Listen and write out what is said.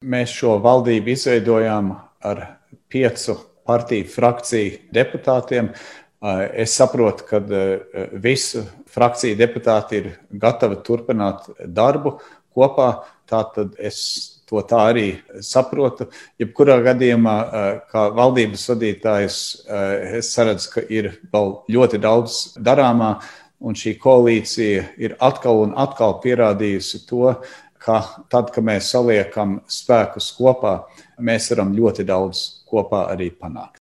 Mēs šo valdību izveidojām ar 5 partiju frakciju deputātiem. Es saprotu, ka visu frakciju deputāti ir gatavi turpināt darbu kopā, tātad es to tā arī saprotu. Jebkurā gadījumā, kā valdības vadītājs, es saredzu, ka ir vēl ļoti daudz darāmā, un šī koalīcija ir atkal un atkal pierādījusi to, ka tad, kad mēs saliekam spēkus kopā, mēs varam ļoti daudz kopā arī panākt.